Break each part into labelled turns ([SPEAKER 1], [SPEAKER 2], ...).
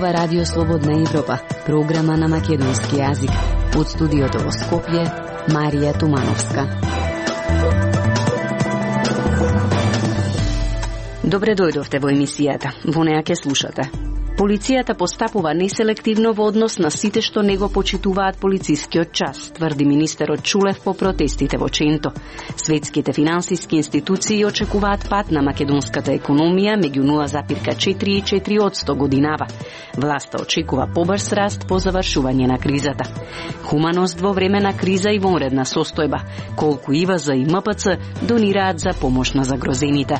[SPEAKER 1] зборува Радио Слободна Европа, програма на македонски јазик. Од студиото во Скопје, Марија Тумановска. Добре дојдовте во емисијата. Во неа ќе слушате. Полицијата постапува неселективно во однос на сите што не го почитуваат полицискиот час, тврди министерот Чулев по протестите во Ченто. Светските финансиски институции очекуваат пат на македонската економија меѓу 0,4 и 4% годинава. Власта очекува побрз раст по завршување на кризата. Хуманост во време на криза и вонредна состојба, колку ИВЗ и МПЦ донираат за помош на загрозените.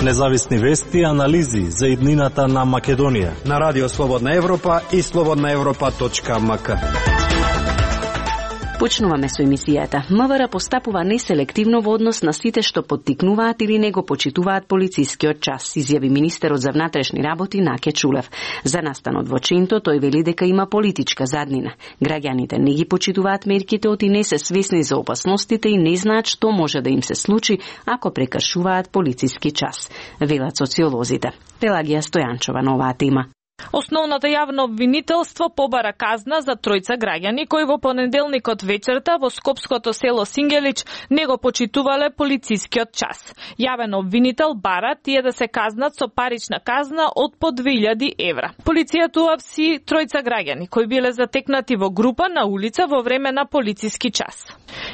[SPEAKER 2] Независни вести и анализи за иднината на Македонија
[SPEAKER 3] на Радио Слободна Европа и slobodnaevropa.mk.
[SPEAKER 1] Почнуваме со емисијата. МВР постапува неселективно во однос на сите што поттикнуваат или не го почитуваат полицискиот час, изјави министерот за внатрешни работи Наке Чулев. За настанот во Ченто тој вели дека има политичка заднина. Граѓаните не ги почитуваат мерките оти не се свесни за опасностите и не знаат што може да им се случи ако прекршуваат полициски час, велат социолозите. Пелагија Стојанчова на оваа тема.
[SPEAKER 4] Основната јавно обвинителство побара казна за тројца граѓани кои во понеделникот вечерта во скопското село Сингелич не го почитувале полицискиот час. Јавен обвинител бара тие да се казнат со парична казна од по 2000 евра. Полицијата уапси тројца граѓани кои биле затекнати во група на улица во време на полициски час.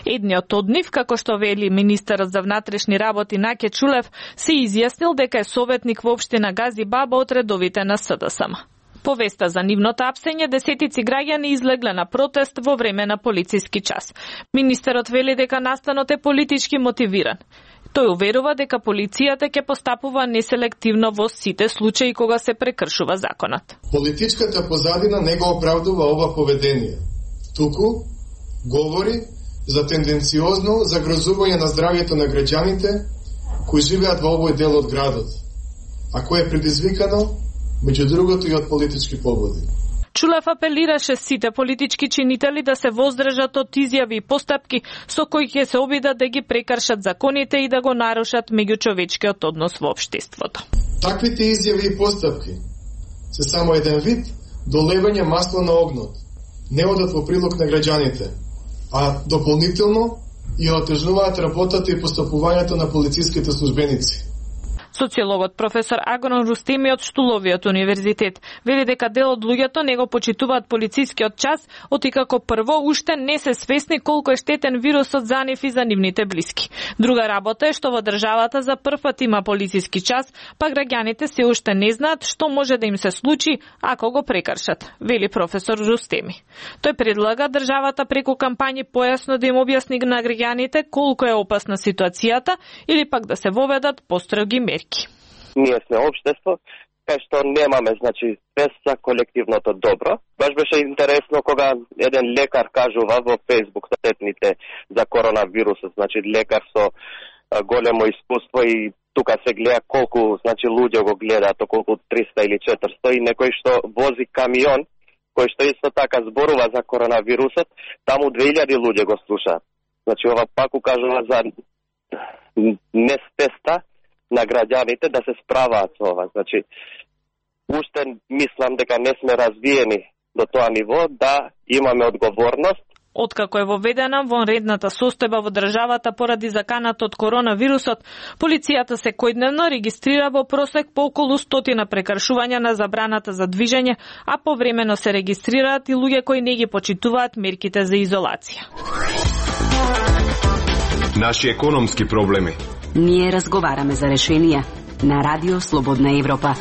[SPEAKER 4] Едниот од нив, како што вели министерот за внатрешни работи Наке Чулев, се изјаснил дека е советник во општина Гази Баба од редовите на СДСМ. По веста за нивното апсење, десетици граѓани излегле на протест во време на полициски час. Министерот вели дека настанот е политички мотивиран. Тој уверува дека полицијата ќе постапува неселективно во сите случаи кога се прекршува законот.
[SPEAKER 5] Политичката позадина не го оправдува ова поведение. Туку говори за тенденциозно загрозување на здравјето на граѓаните кои живеат во овој дел од градот, а кое е предизвикано меѓу другото и од политички поводи.
[SPEAKER 4] Чулев апелираше сите политички чинители да се воздржат од изјави и постапки со кои ќе се обидат да ги прекршат законите и да го нарушат меѓучовечкиот однос во општеството.
[SPEAKER 5] Таквите изјави и постапки се само еден вид долевање масло на огнот. Не одат во прилог на граѓаните, а дополнително и отежнуваат работата и постапувањето на полициските службеници.
[SPEAKER 4] Социологот професор Агрон Рустеми од Штуловиот универзитет вели дека дел од луѓето не го почитуваат полицискиот час, оти како прво уште не се свесни колку е штетен вирусот за нив и за нивните блиски. Друга работа е што во државата за прв пат има полициски час, па граѓаните се уште не знаат што може да им се случи ако го прекршат, вели професор Рустеми. Тој предлага државата преку кампањи појасно да им објасни на граѓаните колку е опасна ситуацијата или пак да се воведат построги мерки.
[SPEAKER 6] Ние сме општество, кај што немаме, без за колективното добро. Баш беше интересно кога еден лекар кажува во Facebook статетните за коронавирусот, лекар со големо искуство и тука се гледа колку, луѓе го гледаат, околку 300 или 400 и некој што вози камион, кој што исто така зборува за коронавирусот, таму 2000 луѓе го слушаат. Ова пак укажува за несвеста на граѓаните да се справаат со ова. Уште мислам дека не сме развиени до тоа ниво да имаме одговорност.
[SPEAKER 4] Откако е воведена вонредната состојба во државата поради заканата од коронавирусот, полицијата секојдневно регистрира во просек по околу 100 прекршувања на забраната за движење, а повремено се регистрираат и луѓе кои не ги почитуваат мерките за изолација.
[SPEAKER 7] Наши економски проблеми.
[SPEAKER 1] Ние разговараме за решенија на Радио Слободна Европа.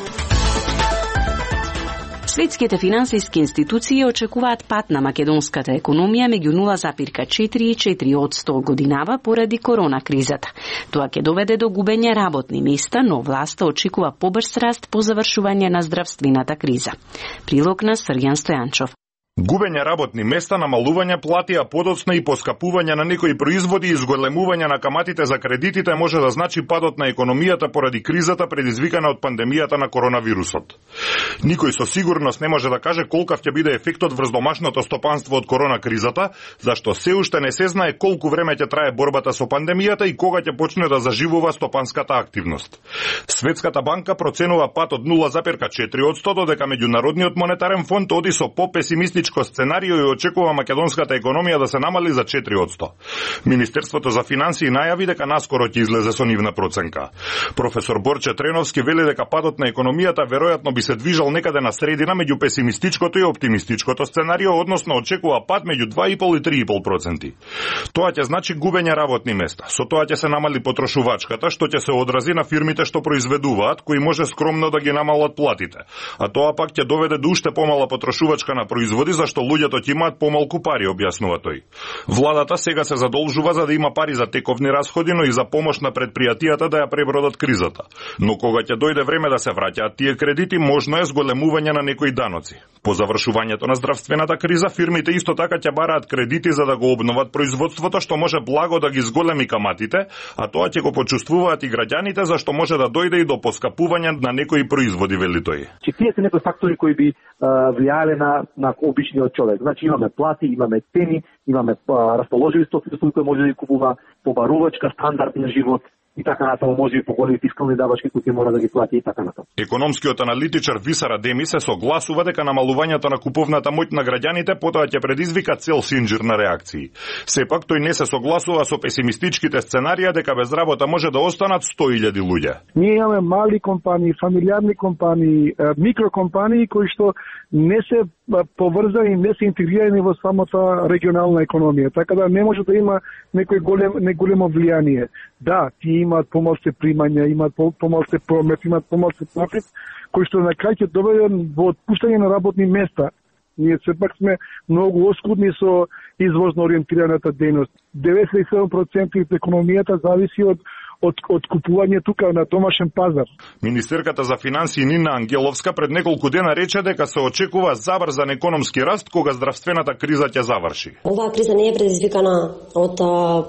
[SPEAKER 1] Светските финансиски институции очекуваат пат на македонската економија меѓу 0,4 и 4% годинава поради корона кризата. Тоа ќе доведе до губење работни места, но власта очекува побрз раст по завршување на здравствената криза. Прилог на Срѓан Стојанчов.
[SPEAKER 8] Губење работни места, намалување плати, а подоцна и поскапување на некои производи и зголемување на каматите за кредитите може да значи падот на економијата поради кризата предизвикана од пандемијата на коронавирусот. Никој со сигурност не може да каже колкав ќе биде ефектот врз домашното стопанство од корона кризата, зашто се уште не се знае колку време ќе трае борбата со пандемијата и кога ќе почне да заживува стопанската активност. Светската банка проценува пат од 0,4% додека Меѓународниот монетарен фонд оди со попесимистичко сценарио и очекува македонската економија да се намали за 4%. Министерството за финансии најави дека наскоро ќе излезе со нивна проценка. Професор Борче Треновски вели дека падот на економијата веројатно би се движал некаде на средина меѓу песимистичкото и оптимистичкото сценарио, односно очекува пад меѓу 2,5 и 3,5%. Тоа ќе значи губење работни места. Со тоа ќе се намали потрошувачката, што ќе се одрази на фирмите што произведуваат, кои може скромно да ги намалат платите. А тоа пак ќе доведе до уште помала потрошувачка на производи, зашто луѓето ќе имаат помалку пари, објаснува тој. Владата сега се задолжува за да има пари за тековни расходи, но и за помош на предпријатијата да ја пребродат кризата. Но кога ќе дојде време да се враќаат тие кредити, можно е зголемување на некои даноци. По завршувањето на здравствената криза, фирмите исто така ќе бараат кредити за да го обноват производството, што може благо да ги зголеми каматите, а тоа ќе го почувствуваат и граѓаните, зашто може да дојде и до поскапување на некои производи, вели тој.
[SPEAKER 9] Тие се некои фактори кои би влијале на обичниот човек. Значи имаме плати, имаме цени, имаме расположиви стоки кои може да ги купува, побарувачка, стандард на живот и така натаму, може и поголеми фискални давачки кои мора да ги плати и така натаму.
[SPEAKER 8] Економскиот аналитичар Висар Адеми се согласува дека намалувањето на куповната моќ на граѓаните потоа ќе предизвика цел синџир на реакции. Сепак тој не се согласува со песимистичките сценарија дека без работа може да останат 100.000 луѓе.
[SPEAKER 10] Ние имаме мали компании, фамилиарни компании, микрокомпании кои што не се поврзани, не се интегрирани во самата регионална економија, така да не може да има некој големо влијание. Да, тие имаат помалку примања, имаат помалку промет, имаат помалку профит, кој што на крај ќе доведе во отпуштање на работни места. Ние сепак сме многу оскудни со извозно ориентираната дејност. 97% од економијата зависи од купување тука на домашен пазар.
[SPEAKER 8] Министерката за финансии Нина Ангеловска пред неколку дена рече дека се очекува забрзан економски раст кога здравствената криза ќе заврши.
[SPEAKER 11] Оваа криза не е предизвикана од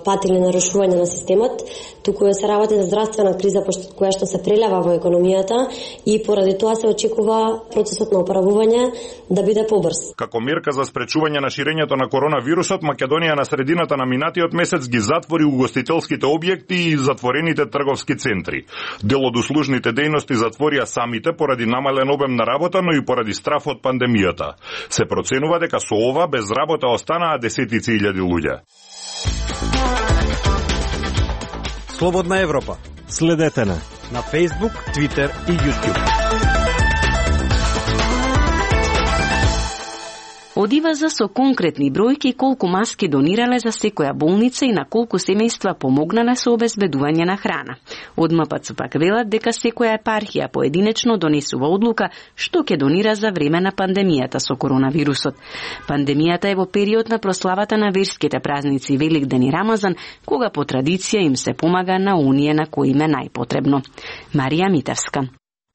[SPEAKER 11] пат или нарушување на системот, туку се работи за здравствена криза која што се прелева во економијата и поради тоа се очекува процесот на оправување да биде побрз.
[SPEAKER 8] Како мерка за спречување на ширењето на коронавирусот, Македонија на средината на минатиот месец ги затвори угостителските објекти и затворените трговски центри. Дел од услужните дејности затворија самите поради намален обем на работа, но и поради страф од пандемијата. Се проценува дека со ова без работа останаа десетици илјади луѓе.
[SPEAKER 3] Слободна Европа.
[SPEAKER 2] Следете на
[SPEAKER 3] Facebook, Twitter и YouTube.
[SPEAKER 1] Одиваза со конкретни бројки колку маски донирале за секоја болница и на колку семејства помогнале со обезбедување на храна. Од МПЦ пак велат дека секоја епархија поединечно донесува одлука што ќе донира за време на пандемијата со коронавирусот. Пандемијата е во период на прославата на верските празници Великден и Рамазан, кога по традиција им се помага на оние на кои им е најпотребно. Марија Митевска.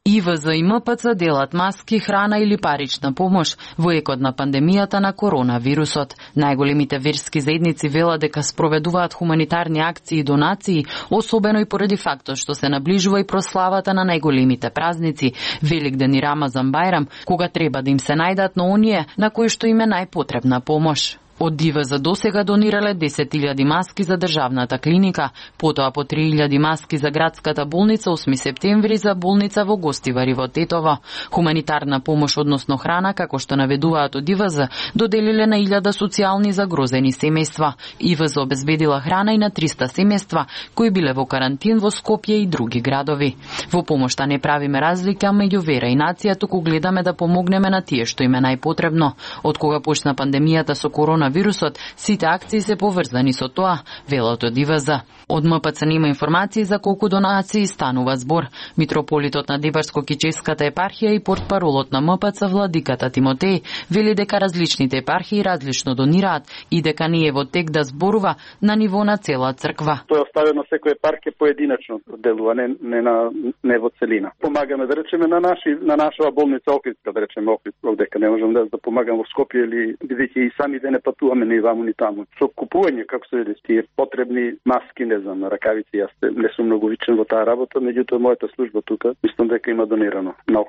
[SPEAKER 12] ИВЗ и МПЦ делат маски, храна или парична помош во екот на пандемијата на коронавирусот. Најголемите верски заедници велат дека спроведуваат хуманитарни акции и донации, особено и поради фактот што се наближува и прославата на најголемите празници Великден и Рамазан Бајрам, кога треба да им се најдат на оние на кои што им е најпотребна помош. Од ИВЗ досега донирале 10.000 маски за државната клиника, потоа по 3.000 маски за градската болница 8 септември за болница во Гостивари во Тетово. Хуманитарна помош, односно храна, како што наведуваат од ИВЗ, доделиле на 1000 социјални загрозени семејства. ИВЗ обезбедила храна и на 300 семејства кои биле во карантин во Скопје и други градови. Во помошта не правиме разлика меѓу вера и нација, туку гледаме да помогнеме на тие што им е најпотребно. Од кога почна пандемијата со коронавирус, коронавирусот, сите акции се поврзани со тоа, велат од ИВЗ. Од МПЦ нема информации за колку донации станува збор. Митрополитот на Дибарско-Кическата епархија и портпаролот на МПЦ владиката Тимотеј вели дека различните епархии различно донираат и дека не е во тек да зборува на ниво на цела црква.
[SPEAKER 13] Тоа е оставено секоја епархија поединечно делува, не во целина. Помагаме да речеме на нашава болница Охридска, да речеме Охридска, дека не можам да помагам во Скопје или бидејќи и сами да не патуваме ни ваму ни таму. Со купување, како се вели, тие потребни маски, не знам, ракавици, јас не сум многу вичен во таа работа, меѓутоа мојата служба тука, мислам дека има донирано на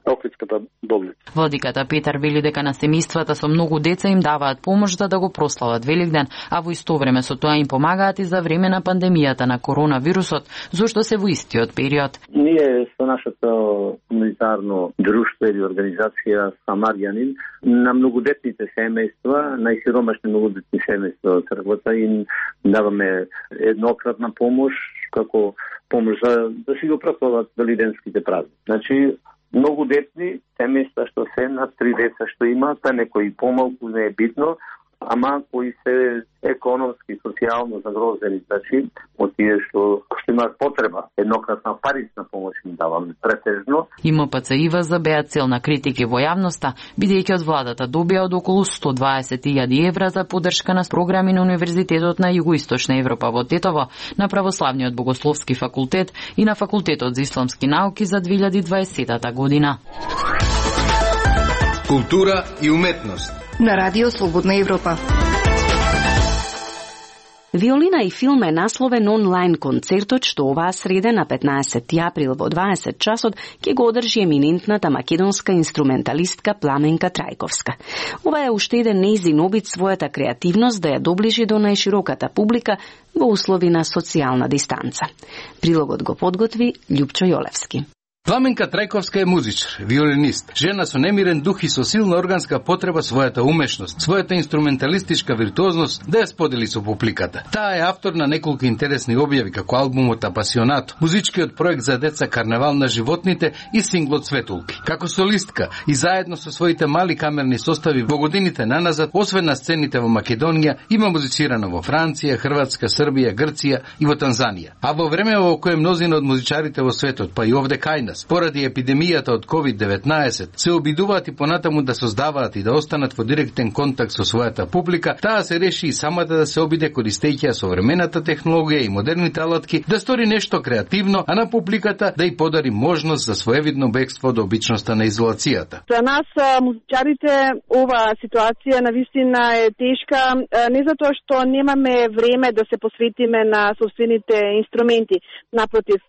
[SPEAKER 13] Охридската болница.
[SPEAKER 12] Владиката Петар вели дека на семејствата со многу деца им даваат помош да го прослават Великден, а во исто време со тоа им помагаат и за време на пандемијата на коронавирусот, зашто се во истиот период.
[SPEAKER 14] Ние со нашето комунитарно друштво или организација Самарјанин на многодетните семејства, најсиромашни многодетни семејства од црквата им даваме еднократна помош како помош да си го прослават великденските празници. Значи многодетни семејства што се на 3 деца што имаат, па некои помалку не е битно, ама кои се економски, социјално загрозени, значи од тие што имаат потреба, еднократна парична помош им даваме претежно.
[SPEAKER 12] И МПЦ ИВЗ беа цел на критики во јавноста, бидејќи од владата добија од околу 120.000 евра за поддршка на програми на Универзитетот на Југоисточна Европа во Тетово, на Православниот богословски факултет и на Факултетот за исламски науки за 2020 година.
[SPEAKER 15] Култура и уметност
[SPEAKER 16] на Радио Слободна Европа.
[SPEAKER 1] Виолина и филм е насловен онлайн концертот што оваа среда на 15 април во 20 часот ќе го одржи еминентната македонска инструменталистка Пламенка Трајковска. Ова е уште еден нејзин обид својата креативност да ја доближи до најшироката публика во услови на социјална дистанца. Прилогот го подготви Љупчо Јолевски.
[SPEAKER 17] Пламенка Трајковска е музичар, виолинист, жена со немирен дух и со силна органска потреба својата умешност, својата инструменталистичка виртуозност да ја сподели со публиката. Таа е автор на неколку интересни објави како албумот Апасионато, музичкиот проект за деца Карневал на животните и синглот Светулки. Како солистка и заедно со своите мали камерни состави во годините наназад, освен на сцените во Македонија, има музицирано во Франција, Хрватска, Србија, Грција и во Танзанија. А во време во кое мнозина од музичарите во светот, па и овде кај нас, поради епидемијата од COVID-19, се обидуваат и понатаму да создаваат и да останат во директен контакт со својата публика, таа се реши и самата да се обиде користејќи современата технологија и модерните алатки да стори нешто креативно, а на публиката да ја подари можност за своевидно бегство до обичноста на изолацијата.
[SPEAKER 18] За нас, музичарите, ова ситуација навистина е тешка, не затоа што немаме време да се посветиме на собствените инструменти. Напротив,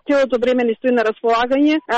[SPEAKER 18] целото време ни стои на располагање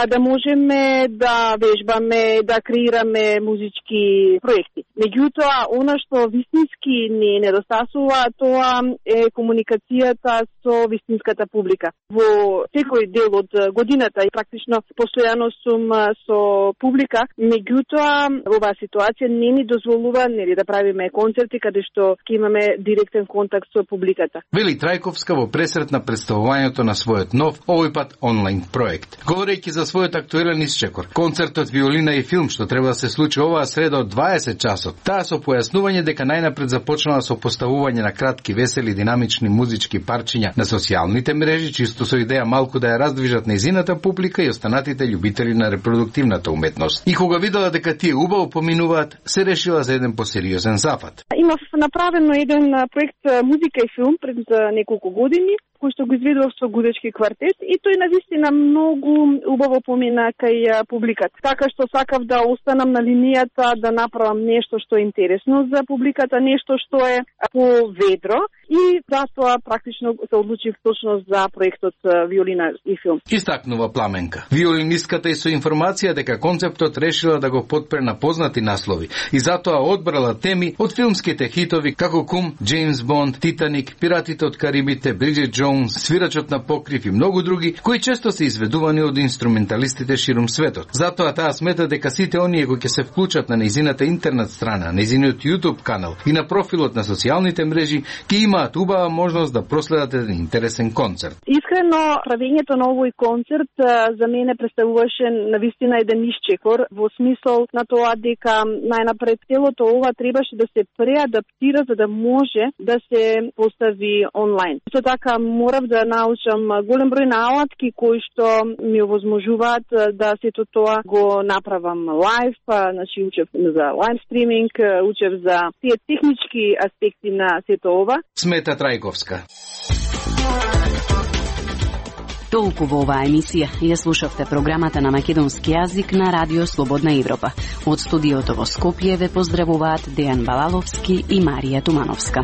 [SPEAKER 18] да можеме да вежбаме, да креираме музички проекти. Меѓутоа, она што вистински ни недостасува, тоа е комуникацијата со вистинската публика. Во секој дел од годината и практично постојано сум со публика, меѓутоа оваа ситуација не ни дозволува нели да правиме концерти каде што ќе имаме директен контакт со публиката.
[SPEAKER 17] Вели Трајковска во пресрет на представувањето на својот нов, овој пат онлайн проект. Говорејќи за својот актуелен исчекор, концертот Виолина и филм што треба да се случи оваа среда од 20 часот, таа со појаснување дека најнапред започнала со поставување на кратки, весели, динамични музички парчиња на социјалните мрежи, чисто со идеја малку да ја раздвижат нејзината публика и останатите љубители на репродуктивната уметност. И кога видела дека тие убаво поминуваат, се решила за еден посериозен зафат.
[SPEAKER 18] Имав направено еден проект музика и филм пред неколку години, кој што го изведував со гудечки квартет и тој навистина многу убаво помина кај публиката. Така што сакав да останам на линијата, да направам нешто што е интересно за публиката, нешто што е поведро и затоа практично се одлучив точно за проектот Виолина и филм.
[SPEAKER 17] Истакнува Пламенка. Виолинистката и со информација дека концептот решила да го потпре на познати наслови и затоа одбрала теми од филмските хитови како Кум, Джеймс Бонд, Титаник, Пиратите од Карибите, Бриджит Джонс, Свирачот на покрив и многу други, кои често се изведувани од инструменталистите ширум светот. Затоа таа смета дека сите оние кои ќе се вклучат на нејзината интернет страна, нејзиниот YouTube канал и на профилот на социјалните мрежи ќе имаат убава можност да проследат еден интересен концерт.
[SPEAKER 18] Искрено, правењето на овој концерт за мене представуваше навистина еден исчекор во смисол на тоа дека најнапред целото ова требаше да се преадаптира за да може да се постави онлайн. Исто така морав да научам голем број наалатки кои што ми овозможуваат да сето тоа го направам лайв, значи учев за лайв стриминг, учев за тие технички аспекти на сето ова.
[SPEAKER 17] Смета Трајковска.
[SPEAKER 1] Толку во оваа емисија ја слушавте програмата на македонски јазик на Радио Слободна Европа. Од студиото во Скопје ве поздравуваат Дејан Балаловски и Марија Тумановска.